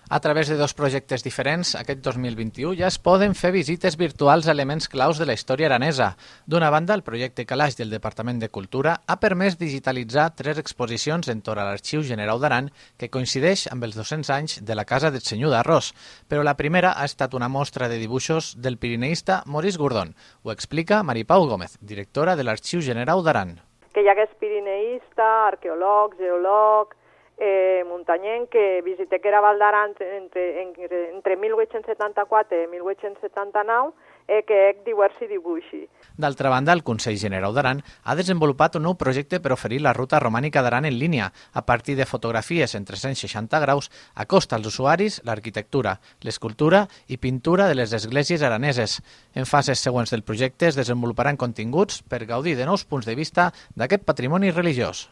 A través de dos projectes diferents, aquest 2021 ja es poden fer visites virtuals a elements claus de la història aranesa. D'una banda, el projecte Calaix del Departament de Cultura ha permès digitalitzar 3 exposicions entorn a l'Arxiu Generau d'Aran que coincideix amb els 200 anys de la Casa del Senyor d'Arròs, però la primera ha estat una mostra de dibuixos del pirineista Maurice Gordon. Ho explica Maripau Gómez, directora de l'Arxiu Generau d'Aran. Que hi hagués pirineista, arqueòleg, geòleg, muntanyenc que visité que era Val d'Aran entre 1874 i 1879 que ec diversi dibuixi. D'altra banda, el Consell Generau d'Aran ha desenvolupat un nou projecte per oferir la ruta romànica d'Aran en línia. A partir de fotografies en 360 graus, acosta als usuaris l'arquitectura, l'escultura i pintura de les esglésies araneses. En fases següents del projecte es desenvoluparan continguts per gaudir de nous punts de vista d'aquest patrimoni religiós.